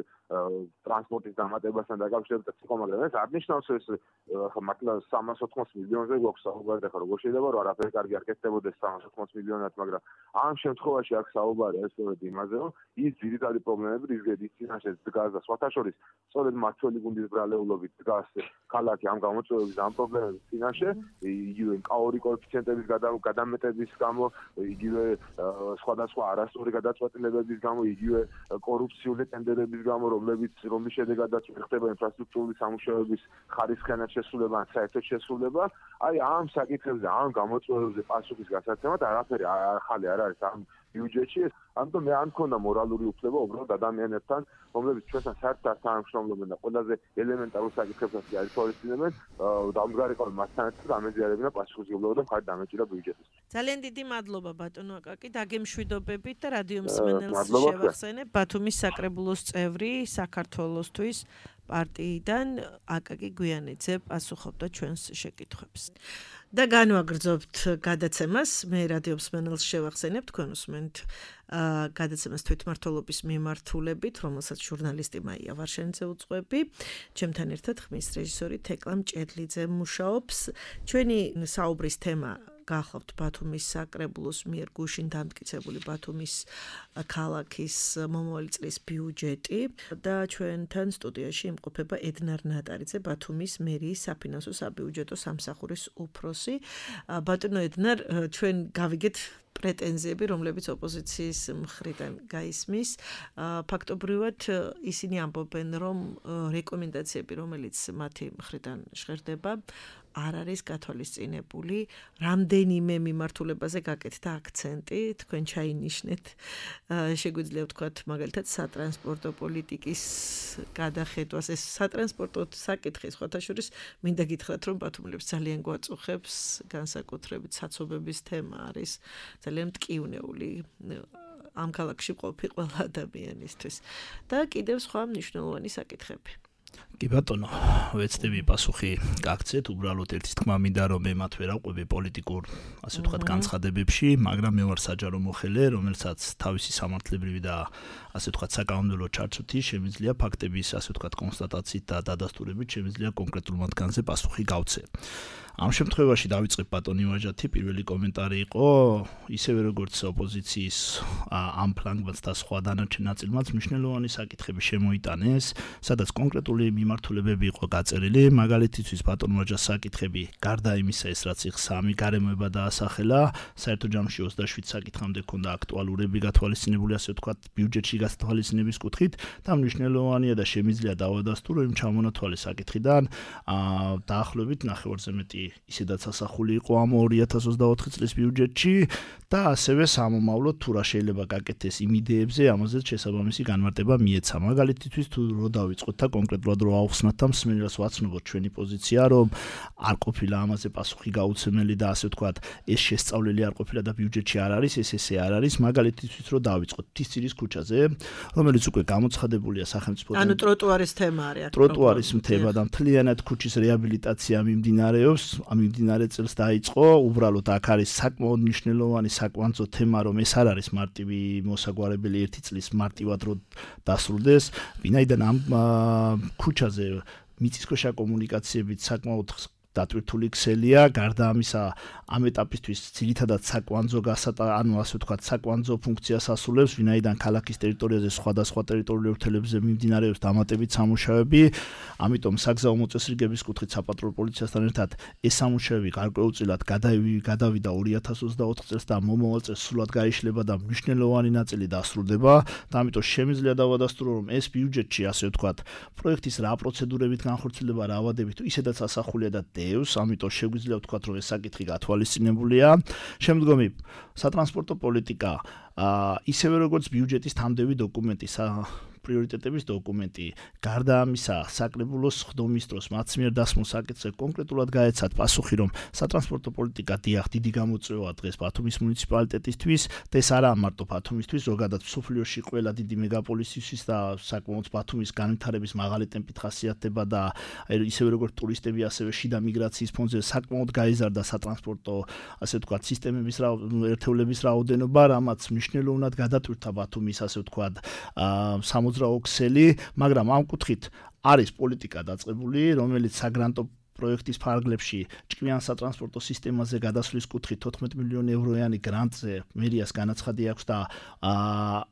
ტრანსპორტის დამატებასთან დაკავშირებით იყო, მაგრამ ეს არნიშნავს ეს მართლა 380 მილიონზე გვაქვს საუბარი, ახლა როგორ შეიძლება რომ არაფერი კარგი არ კეთდებოდეს 380 მილიონად, მაგრამ ამ შემთხვევაში აქ საუბარი არის სწორედ იმაზე, რომ ის ძირითადი პრობლემები, რის გედის წინაშე დგას და სხვათა შორის სწორედ მართველი გუნდის ბრალეულობით დგას ქალაქი ამ გამოწვევების ამ პრობლემების წინაშე, იგივე კაორი კოეფიციენტების გადამეტების გამო, იგივე სხვადასხვა არასწორი გადაწყვეტილებების გამო, იგივე კორუფციული ტენდერების გამო, რომლის შედეგადაც ხდება ინფრასტრუქტურული სამუშაოების ხარისხიანად შესრულება ან საერთოდ შესრულება, აი ამ საკითხებზე, ამ გამოწვევებზე პასუხის გასაცემად არაფერი ახალი არ არის ამ ბიუჯეტში. ამიტომ მე არ მქონდა მორალური უფლება უბრალოდ ადამიანებთან, რომლებიც ჩვენთან საერთოდ არ თანამშრომლობენ და ყველაზე ელემენტარულ საკითხებსაც კი არ ითვალისწინებენ, დამდგარიყავენ მასთან ერთად ამეზიარებინა პასუხისმგებლობა და მხარი დამეჭირა ბიუჯეტის. ძალიან დიდი მადლობა ბატონო აკაკი, დაგემშვიდობებით და რადიო მსმენელს შევახსენებ ბათუმის საკრებულოს წევრი საქართველოსთვის პარტიიდან აკაკი გვიანიძე პასუხობდა ჩვენს შეკითხვებს. და განვაგრძობთ გადაცემას, მე რადიო მსმენელს შევახსენებ, თქვენ უსმენთ გადაცემას თვითმმართველობის მიმართულებით, რომელსაც ჟურნალისტი მაია ვარშენიძე უძღვები. ჩემთან ერთად ხმის რეჟისორი თეკლა მჭედლიძე მუშაობს. ჩვენი საუბრის თემა გახლავთ ბათუმის საკრებულოს მიერ გუშინ დამტკიცებული ბათუმის ქალაქის მომავალი წლის ბიუჯეტი და ჩვენთან სტუდიაში იმყოფება ედნარ ნატარიძე, ბათუმის მერიის საფინანსო საბიუჯეტო სამსახურის უფროსი. ბატონო ედნარ, ჩვენ გავიგეთ პრეტენზიები, რომლებიც ოპოზიციის მხრიდან გაისმის. ფაქტობრივად ისინი ამბობენ, რომ რეკომენდაციები, რომელიც მათი მხრიდან ჟღერდება, არ არის გათვალისწინებული. რამდენიმე მიმართულებაზე გაკეთდა აქცენტი, თქვენ ჩაინიშნეთ. შეგვიძლია ვთქვათ, მაგალითად, სატრანსპორტო პოლიტიკის გადახედვას, ეს სატრანსპორტო საკითხი სხვათა შორის მინდა გითხრათ, რომ ბათუმელებს ძალიან გვაწუხებს, განსაკუთრებით საცობების თემა არის ძალიან მტკივნეული ამ ქალაქში ყოფი ყველა ადამიანისთვის. და კიდევ სხვა მნიშვნელოვანი საკითხები. კი ბატონო, ვეცდები პასუხი გაგცეთ, უბრალოდ ერთის თქმა მინდა რომ მე მათ ვერ ავყვები პოლიტიკურ, ასე ვთქვათ, განცხადებებში, მაგრამ მე ვარ საჯარო მოხელე, რომელსაც თავისი სამართლებრივი და ასე ვთქვათ, საკანონმდებლო ჩარჩოთი შემიძლია ფაქტების, ასე ვთქვათ, კონსტატაციით და დადასტურებით შემიძლია კონკრეტულ მათგანზე პასუხი გავცე. ამ შემთხვევაში დავიწყებ ბატონი ვაჟათი, პირველი კომენტარი იყო, ისევე როგორც ოპოზიციის ამ ფლანგმაც და სხვა დანარჩენ ნაწილმაც მნიშვნელოვანი საკითხები შემოიტანეს, სადაც კონკრეტული მიმართულებები იყო გაწერილი, მაგალითისთვის ბატონ ვაჟას საკითხები, გარდა იმისა, ეს რაც იქ 3 გარემოება დაასახელა, საერთო ჯამში 27 საკითხამდე ქონდა აქტუალურები გათვალისწინებული, ასე ვთქვათ, ბიუჯეტში გათვალისწინების კუთხით და მნიშვნელოვანია და შემიძლია დავადასტურო იმ ჩამონათვალე საკითხიდან, დაახლოებით ნახევარზე მეტი ისედაც ასახული იყო ამ 2024 წლის ბიუჯეტში და ასევე სამომავლოდ თუ რა შეიძლება გაკეთდეს იმ იდეებზე, ამაზეც შესაბამისი განმარტება მიეცა. მაგალითისთვის თუ რო დავიწყოთ და კონკრეტულად რო ავხსნათ და მსმენელს ვაცნობოთ ჩვენი პოზიცია, რომ არ ყოფილა ამაზე პასუხი გაუცემელი და ასე ვთქვათ, ეს შესწავლილი არ ყოფილა და ბიუჯეტში არ არის, ეს ესე არ არის, მაგალითისთვის რო დავიწყოთ თისწირის ქუჩაზე, რომელიც უკვე გამოცხადებულია სახელმწიფოდან. ანუ ტროტუარის თემა არის აქ. ტროტუარის თემა და მთლიანად ქუჩის რეაბილიტაცია მიმდინარეობს. ამ მიმდინარე წელს დაიწყო, უბრალოდ აქ არის საკმაოდ მნიშვნელოვანი საკვანძო თემა, რომ ეს არ არის მარტივი მოსაგვარებელი ერთი წლის მარტივად რო დასრულდეს, ვინაიდან ამ ქუჩაზე მიწისქვეშა კომუნიკაციებით საკმაოდ დატვირთული ქსელია, გარდა ამისა, ამ ეტაპისთვის ძირითადად საკვანძო ანუ ასე ვთქვათ, საკვანძო ფუნქციას ასრულებს, ვინაიდან ქალაქის ტერიტორიაზე სხვადასხვა ტერიტორიული ურთიერთობებზე მიმდინარეობს დამატებით სამუშაოები, ამიტომ საგზაო მოწესრიგების კუთხით საპატრულო პოლიციასთან ერთად ეს სამუშაოები გარკვეულწილად გადავიდა 2024 წელს და მომავალ წელს სრულად გაიშლება და მნიშვნელოვანი ნაწილი დასრულდება და ამიტომ შემიძლია დავადასტურო, რომ ეს ბიუჯეტში, ასე ვთქვათ, პროექტის რა პროცედურებით განხორციელდება, რა ავადებით, ისედაც ასახულია და დევს, ამიტომ შეგვიძლია ვთქვათ, რომ ეს საკითხი გათვალისწინებულია. შემდგომი სატრანსპორტო პოლიტიკა ისევე როგორც ბიუჯეტის თამდევი დოკუმენტი, პრიორიტეტების დოკუმენტი, გარდა ამისა, საკრებულოს ხდომის დროს მათ მიერ დასმულ საკითხზე კონკრეტულად გაეცათ პასუხი, რომ სატრანსპორტო პოლიტიკა დიახ დიდი გამოწვევაა დღეს ბათუმის მუნიციპალიტეტისთვის, და ეს არაა მარტო ბათუმისთვის, ზოგადად მსოფლიოში ყველა დიდი მეგაპოლისისთვის და საკმაოდ ბათუმის განვითარების მაღალი ტემპით ხასიათდება და ისევე როგორც ტურისტები, ასევე შიდა მიგრაციის ფონზე საკმაოდ გაიზარდა სატრანსპორტო, ასე ვთქვათ, სისტემების ერთეულების რაოდენობა, რამაც მნიშვნელოვნად გადატვირთა ბათუმის, ასე ვთქვათ, ქსელი, მაგრამ ამ კუთხით არის პოლიტიკა დაწყებული, რომელიც საგრანტო პროექტის ფარგლებში ჭკვიან სატრანსპორტო სისტემაზე გადასვლის კუთხით 14 მილიონი ევროიანი გრანტზე მერიას განაცხადი აქვს და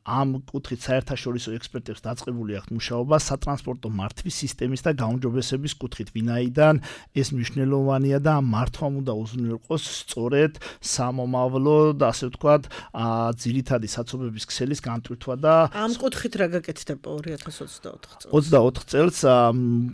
ამ კუთხით საერთაშორისო ექსპერტებს დაწყებული აქვს მუშაობა სატრანსპორტო მართვის სისტემის და გაუმჯობესების კუთხით, ვინაიდან ეს მნიშვნელოვანია და ამ მართვამ უნდა უზრუნველყოს სწორედ სამომავლო და ასე ვთქვათ, ძირითადი საცობების ქსელის განტვირთვა და ამ კუთხით რა გაკეთდება 2024 წელს? 24 წელს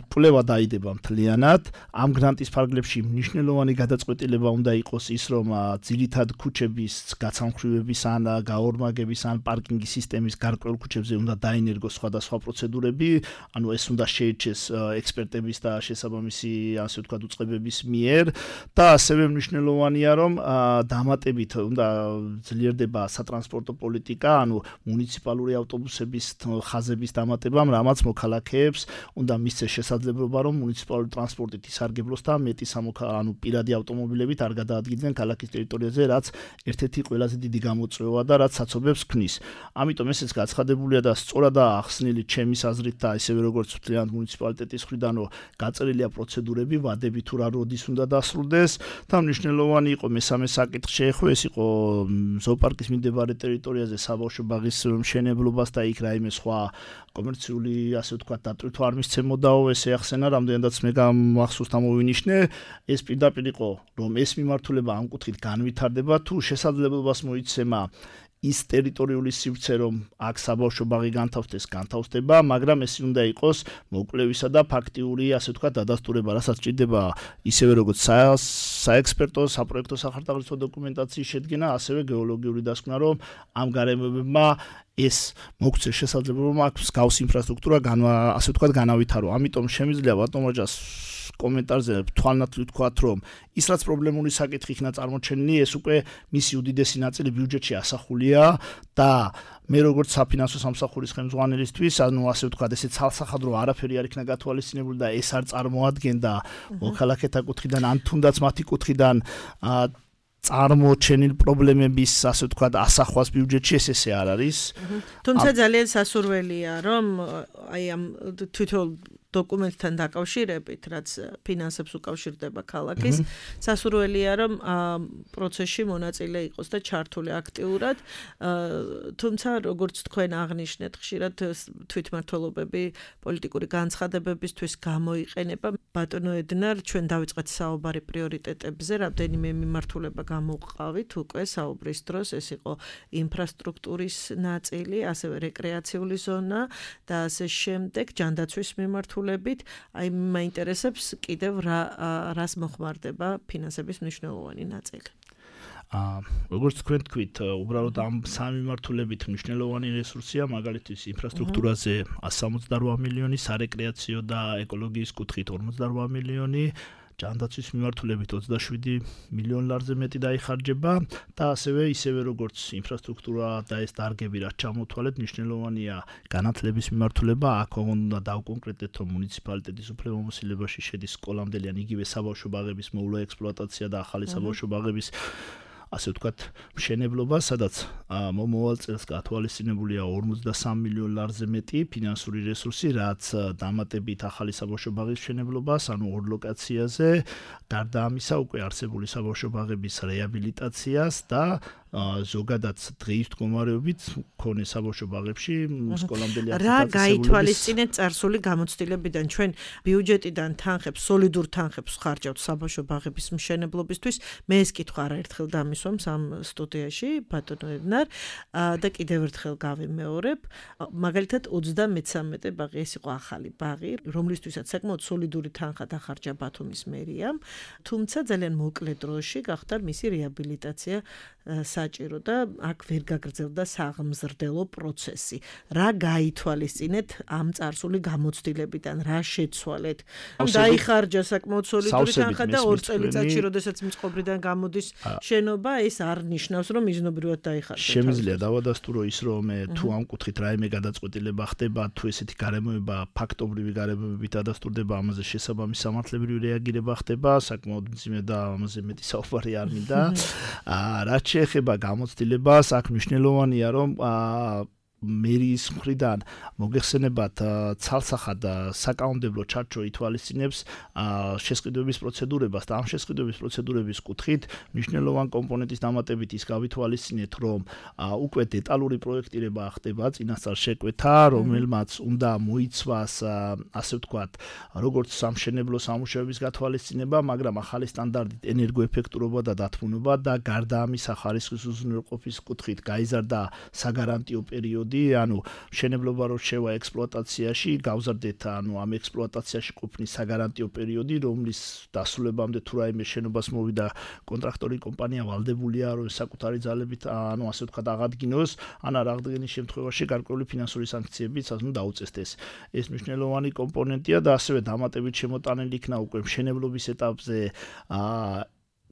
კვლევა დაიდება მთლიანად. ამ გრანტის ფარგლებში მნიშვნელოვანი გადაწყვეტილება უნდა იყოს ის, რომ ძირითად ქუჩების გაცამხრივების ან გაორმაგების ან პარკინგის სისტემის გარკვეულ ქუჩებზე უნდა დაინერგოს სხვადასხვა პროცედურები, ანუ ეს უნდა შეირჩეს ექსპერტების და შესაბამისი, ასე ვთქვათ, უწყებების მიერ და ასევე მნიშვნელოვანია, რომ დამატებით უნდა ძლიერდება სატრანსპორტო პოლიტიკა, ანუ მუნიციპალური ავტობუსების ხაზების დამატებამ, რამაც მოქალაქეებს უნდა მისცეს შესაძლებლობა, რომ მუნიციპალური ტრანსპორტით ისარგებლოს და მეტი ანუ პირადი ავტომობილებით არ გადაადგილდნენ ქალაქის ტერიტორიაზე, რაც ერთ-ერთი ყველაზე დიდი გამოწვევა და რაც საცობებს ქმნის. ამიტომ ესეც გაცხადებულია და სწორადაა ახსნილი ჩემის აზრით და ისევე როგორც მთლიანად მუნიციპალიტეტის მხრიდან, რომ გაწერილია პროცედურები, ვადები თუ რა როდის უნდა დასრულდეს და მნიშვნელოვანი იყო მესამე საკითხი შეეხო, ეს იყო ზოოპარკის მიმდებარე ტერიტორიაზე საბავშვო ბაღის მშენებლობას და იქ რაიმე სხვა კომერციული, ასე ვთქვათ, დატვირთვა არ მისცემოდაო, ეს ახსენა, რამდენადაც მე მახსოვს ამოვინიშნე, ეს პირდაპირ იყო, რომ ეს მიმართულება ამ კუთხით განვითარდება, თუ შესაძლებლობას მოიცემა ის ტერიტორიული სივრცე, რომ აქ საბავშვო ბაღი განთავსდება, მაგრამ ეს უნდა იყოს მოკვლევისა და ფაქტიური, ასე ვთქვათ, დადასტურება, რასაც ჭირდება ისევე როგორც საექსპერტო, საპროექტო სახარდაღლისო დოკუმენტაციის შედგენა, ასევე გეოლოგიური დასკვნა, რომ ამ გარემოებებმა ეს მოგცეს შესაძლებლობა აქვს გავს ინფრასტრუქტურა, ასე ვთქვათ, განავითარო. ამიტომ შემიძლია ბატონოჯას კომენტარზე თვალნათლივ ვთქვათ, რომ ის რაც პრობლემური საკითხი იქნა წარმოჩენილი, ეს უკვე მისი უდიდესი ნაწილი ბიუჯეტში ასახულია და მე როგორც საფინანსო სამსახურის ხელმძღვანელისთვის, ანუ ასე ვთქვათ, ესე ცალსახადრო არაფერი არ იქნა გათვალისწინებული და ეს არ წარმოადგენდა მოქალაქეთა კუთხიდან ან თუნდაც მათი კუთხიდან წარმოჩენილ პრობლემების, ასე ვთქვათ, ასახვას ბიუჯეტში ესე არ არის. თუმცა ძალიან სასურველია, რომ აი ამ თვითონ დოკუმენტთან დაკავშირებით, რაც ფინანსებს უკავშირდება ქალაქის, სასურველია, რომ პროცესში მონაწილე იყოს და ჩართული აქტიურად, თუმცა როგორც თქვენ აღნიშნეთ, ხშირად თვითმმართველობები პოლიტიკური განცხადებებისთვის გამოიყენება. ბატონო ედნარ, ჩვენ დავიწყეთ საუბარი პრიორიტეტებზე, რამდენიმე მიმართულება გამოვყავით უკვე საუბრის დროს, ეს იყო ინფრასტრუქტურის ნაწილი, ასევე რეკრეაციული ზონა და ასე შემდეგ, ჯანდაცვის მიმართულებით, აი მაინტერესებს კიდევ რას მოხმარდება ფინანსების მნიშვნელოვანი ნაწილი. როგორც თქვენ თქვით, უბრალოდ ამ სამი მიმართულებით მნიშვნელოვანი რესურსია, მაგალითად ინფრასტრუქტურაზე 168 მილიონი, სარეკრეაციო და ეკოლოგიის კუთხით 48 მილიონი, ჯანდაცვის მიმართულებით 27 მილიონ ლარზე მეტი დაიხარჯება და ისევე როგორც ინფრასტრუქტურა და ეს დარგები რაც ჩამოთვალეთ, მნიშვნელოვანია განათლების მიმართულება, აქ უნდა დავკონკრეტეთ, რომ მუნიციპალიტეტის უფლებამოსილებაში შედის სკოლამდელი ან იგივე საბავშვო ბაღების მოულა ექსპლუატაცია და ახალი საბავშვო ბაღების ასე ვთქვათ, მშენებლობა, სადაც მომავალ წელს გათვალისწინებულია 43 მილიონ ლარზე მეტი ფინანსური რესურსი, რაც დამატებით ახალი საბავშვო ბაღის მშენებლობას, ანუ ორ ლოკაციაზე, გარდა ამისა უკვე არსებული საბავშვო ბაღების რეაბილიტაციას და ზოგადად დღის მდგომარეობით მქონე საბავშვო ბაღებში სკოლამდელი რა გაითვალისწინეთ წარსული გამოცდილებიდან ჩვენ ბიუჯეტიდან თანხებს, სოლიდურ თანხებს ხარჯავთ საბავშვო ბაღების მშენებლობისთვის. მე ეს კითხვა არაერთხელ დამისვამს ამ სტუდიაში ბატონო ედნარ და კიდევ ერთხელ გავიმეორებ. მაგალითად 33 ბაღი ეს იყო ახალი ბაღი, რომლისთვისაც საკმაოდ სოლიდური თანხა დახარჯა ბათუმის მერიამ, თუმცა ძალიან მოკლე დროში გახდა მისი რეაბილიტაცია საჭირო და აქ ვერ გაგრძელდა საღმზრდელო პროცესი. რა გაითვალისწინეთ ამ წარსული გამოცდილებიდან, რა შეცვალეთ? დაიხარჯა საკმაოდ სოლიდური თანხა და 2 წელიწადში, როდესაც მწყობრიდან გამოდის შენობა, ეს არ ნიშნავს, რომ მიზნობრივად დაიხარჯა. შემიძლია დავადასტურო ის, რომ თუ ამ კუთხით რაიმე გადაწყვეტილება ხდება, თუ ესეთი გარემოება, ფაქტობრივი გარემოებებით დადასტურდება, ამაზე შესაბამისი სამართლებრივი რეაგირება ხდება, საკმაოდ მძიმე და ამაზე მეტი საუბარი არ მინდა. რაც შეეხება გამოცდილებას, აქ მნიშვნელოვანია, რომ მერიის მხრიდან მოგეხსენებათ ცალსახად საკანონმდებლო ჩარჩო ითვალისწინებს შესყიდვების პროცედურებას და ამ შესყიდვების პროცედურების კუთხით მნიშვნელოვან კომპონენტის დამატებით ის გავითვალისწინეთ, რომ უკვე დეტალური პროექტირება ხდება წინასწარ შეკვეთა, რომელმაც უნდა მოიცვას ასე ვთქვათ, როგორც სამშენებლო სამუშაოების გათვალისწინება, მაგრამ ახალი სტანდარტით ენერგოეფექტურობა და დათმობა და გარდა ამისა ხარისხის უზრუნველყოფის კუთხით გაიზარდა საგარანტიო პერიოდი, ანუ მშენებლობა რო შევა ექსპლუატაციაში, გავზარდეთ ამ ექსპლუატაციაში ყოფნის საგარანტიო პერიოდი, რომლის დასრულებამდე თუ რაიმე შენობას მოვიდა კონტრაქტორი კომპანია ვალდებულია, რომ საკუთარი ძალებით ასე ვთქვათ აღადგინოს, ან არ აღდგენის შემთხვევაში გარკვეული ფინანსური სანქციებიც დაუწესდეს. ეს მნიშვნელოვანი კომპონენტია და ასევე დამატებით შემოტანილი იქნა უკვე მშენებლობის ეტაპზე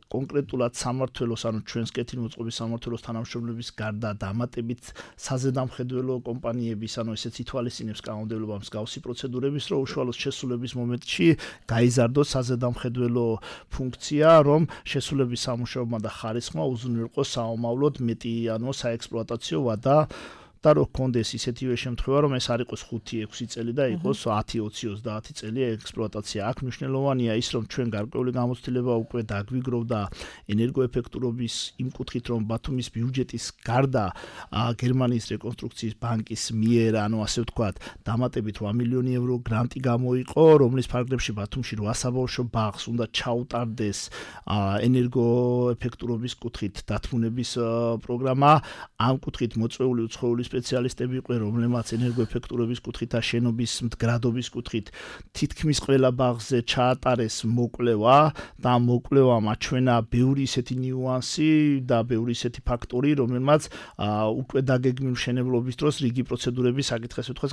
კონკრეტულად სამმართველოს, ანუ ჩვენს კეთილმოწყობის სამმართველოს თანამშრომლების გარდა დამატებით საზედამხედველო კომპანიების, ანუ ესეც ითვალისწინებს კანონმდებლობა მსგავსი პროცედურების, რომ უშუალოდ შესრულების მომენტში გაიზარდოს საზედამხედველო ფუნქცია, რომ შესრულების სამუშაომა და ხარისხმა უზრუნველყოს საომავლოდ მეტი, ანუ საექსპლუატაციო ვადა და რო გქონდეს ისეთივე შემთხვევა, რომ ეს არ იყოს 5-6 წელი და იყოს 10-20-30 წელი ექსპლუატაცია. აქ მნიშვნელოვანია ის, რომ ჩვენ გარკვეული გამოცდილება უკვე დაგვიგროვდა ენერგოეფექტურობის იმ კუთხით, რომ ბათუმის ბიუჯეტის გარდა გერმანიის რეკონსტრუქციის ბანკის მიერ, ანუ ასე ვთქვათ, დამატებით 8 მილიონი ევრო გრანტი გამოიყო, რომლის ფარგლებში ბათუმში 8 საბავშვო ბაღს უნდა ჩაუტარდეს ენერგოეფექტურობის კუთხით დათმუნების პროგრამა. ამ კუთხით მოწვეული უცხოელი სპეციალისტები იყვნენ, რომლებმაც ენერგოეფექტურობის კუთხით და შენობის მდგრადობის კუთხით თითქმის ყველა ბაღზე ჩაატარეს მოკვლევა და ამ მოკვლევამ აჩვენა ბევრი ისეთი ნიუანსი და ბევრი ისეთი ფაქტორი, რომელმაც უკვე დაგეგმილ მშენებლობის დროს რიგი პროცედურების საკითხს უთხრეს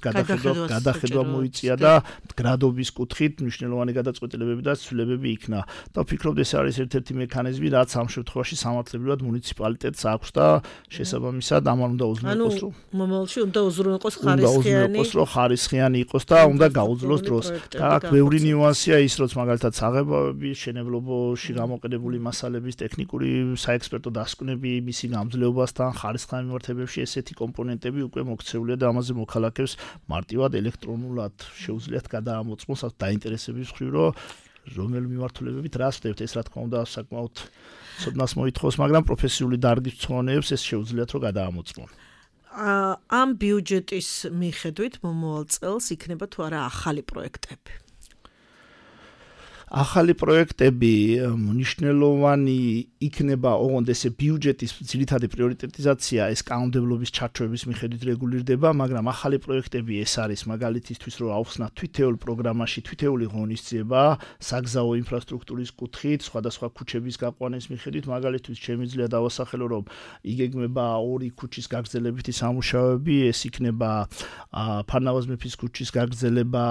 გადახედვა მოიწია და მდგრადობის კუთხით მნიშვნელოვანი გადაწყვეტილებები და ცვლილებები იქნა. და ვფიქრობ, ეს არის ერთ-ერთი მექანიზმი, რაც ამ შემთხვევაში სამართლებრივად მუნიციპალიტეტს აქვს და შესაბამისად ამან უნდა უზრუნველყოს, რომ მომავალში უნდა უზრუნველყოს ხარისხიანი იყოს და უნდა გაუძლოს დროს. და აქ ბევრი ნიუანსია ის, რომ მაგალითად საღებავების, შენებლობაში გამოყენებული მასალების ტექნიკური საექსპერტო დასკვნები, მისი გამძლეობასთან, ხარისხიან მიმართებებში ესეთი კომპონენტები უკვე მოქცეულია და ამაზე მოქალაქეს მარტივად ელექტრონულად შეუძლიათ გადაამოწმოს დაინტერესების მხრივ, რომელი მიმართულებებით რას ხდებთ. ეს რა თქმა უნდა საკმაოდ ცოდნას მოითხოვს, მაგრამ პროფესიული დარგის მწვანეებს ეს შეუძლიათ რომ გადაამოწმონ. ამ ბიუჯეტის მიხედვით მომავალ წელს იქნება თუ არა ახალი პროექტები? ახალი პროექტები მნიშვნელოვანი იქნება, ოღონდ ესე ბიუჯეტის ძირითადი პრიორიტეტიზაცია ეს კანონმდებლობის ჩარჩოების მიხედვით რეგულირდება, მაგრამ ახალი პროექტები ეს არის მაგალითისთვის, რომ აუხსნათ თვითეულ პროგრამაში თვითეული ღონისძიება საგზაო ინფრასტრუქტურის კუთხით, სხვადასხვა ქუჩების გაყვანის მიხედვით, მაგალითთვის შემიძლია დავასახელო, რომ იგეგმება 2 ქუჩის გაგრძელებითი სამუშაოები, ეს იქნება ფარნავაზ მეფის ქუჩის გაგრძელება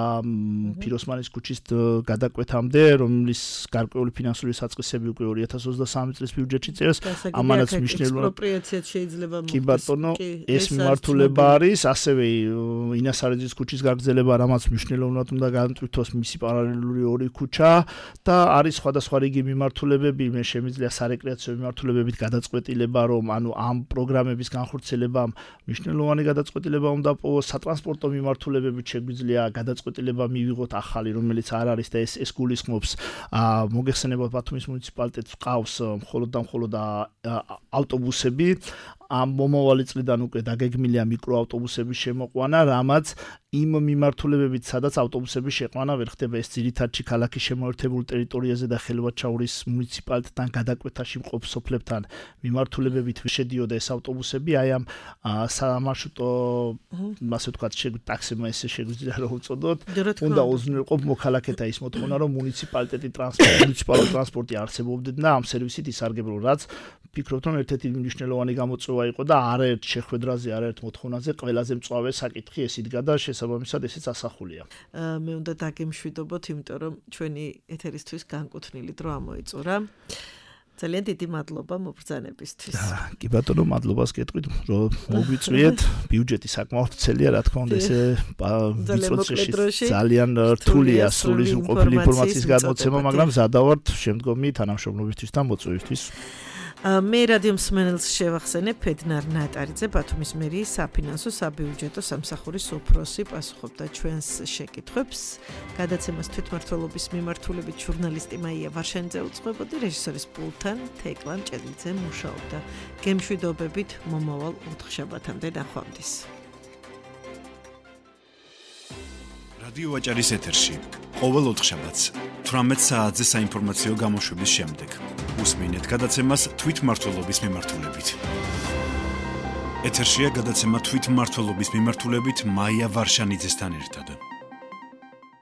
ფიროსმანის ქუჩის გადაკვეთამდე, რომლის გარკვეული ფინანსური საწყისები უკვე 2023 წლის ბიუჯეტში წერს. ამანაც მნიშვნელოვანი ექსპროპრიაციაც შეიძლება მოხდეს. კი ბატონო, ეს მიმართულება არის, ასევე ინასარიძის ქუჩის გაგრძელება, რამაც მნიშვნელოვნად უნდა განმტკიცოს მისი პარალელური 2 ქუჩა და არის სხვადასხვა რიგი მიმართულებები, მე შემიძლია სარეკრეაციო მიმართულებებით გადაწყვეტილება, რომ ანუ ამ პროგრამების განხორციელებამ მნიშვნელოვანი გადაწყვეტილება უნდა პოვოს, სატრანსპორტო მიმართულებებით შეგვიძლია გადაწყვეტილება მივიღოთ ახალი, რომელიც არ არის და ეს გულისხმობს არსებობს. მოგეხსენება ბათუმის მუნიციპალიტეტს ყავს მხოლოდ და მხოლოდ ავტობუსები. ამ მომავალი წლიდან უკვე დაგეგმილია მიკროავტობუსების შემოყვანა, რამაც იმ მიმართულებებით, სადაც ავტობუსების შეყვანა ვერ ხდება, ეს ძირითადად ქალაქის შემოერთებულ ტერიტორიაზე და ხელვაჩაურის მუნიციპალიტეტთან გადაკვეთაში მყოფ სოფლებთან მიმართულებებით შედიოდა ეს ავტობუსები, აი ამ სამარშრუტო, ასე ვთქვათ, ტაქსებმა ესე შეგვიძლია რომ უწოდოთ, უნდა უზრუნველყო მოქალაქეთა ის მოთხოვნა, რომ მუნიციპალური ტრანსპორტი არსებობდეთ და ამ სერვისით ისარგებლონ, რაც ვფიქრობთ, რომ ერთ-ერთი მნიშვნელოვანი გამოწვევა იყო და არაერთ შეხვედრაზე, არაერთ მოთხოვნაზე ყველაზე მწვავე საკითხი ეს იდგა და შესაბამისად ესეც ასახულია. მე უნდა დაგემშვიდობოთ, იმიტომ რომ ჩვენი ეთერისთვის განკუთვნილი დრო ამოიწურა. ძალიან დიდი მადლობა მობრძანებისთვის. კი ბატონო, მადლობას გეტყვით, რომ მოგვიწვიეთ. ბიუჯეტი საკმაოდ ვრცელია, რა თქმა უნდა, ესე ვიწროში ძალიან რთულია სრული ყოფილი ინფორმაციის გადმოცემა, მაგრამ ზადავართ შემდგომი თანამშრომლობისთვის და მოწვევისთვის. მე რადიო მსმენელს შევახსენებ, ფედნარ ნატარიძე, ბათუმის მერიის საფინანსო საბიუჯეტო სამსახურის უფროსი, პასუხობდა ჩვენს შეკითხვებს. გადაცემას თვითმმართველობის მიმართულებით ჟურნალისტი მაია ვარშანიძე უძღვებოდი, რეჟისორის პულტთან თეკლან ჭედლიძე მუშაობდა. გემშვიდობებით მომავალ ოთხშაბათამდე ნახვამდის. რადიო ვაჭარის ეთერში ყოველ ოთხშაბათს 18 საათზე საინფორმაციო გამოშვების შემდეგ უსმინეთ გადაცემას თვითმმართველობის მიმართულებით. ეთერშია გადაცემა თვითმმართველობის მიმართულებით მაია ვარშანიძესთან ერთად.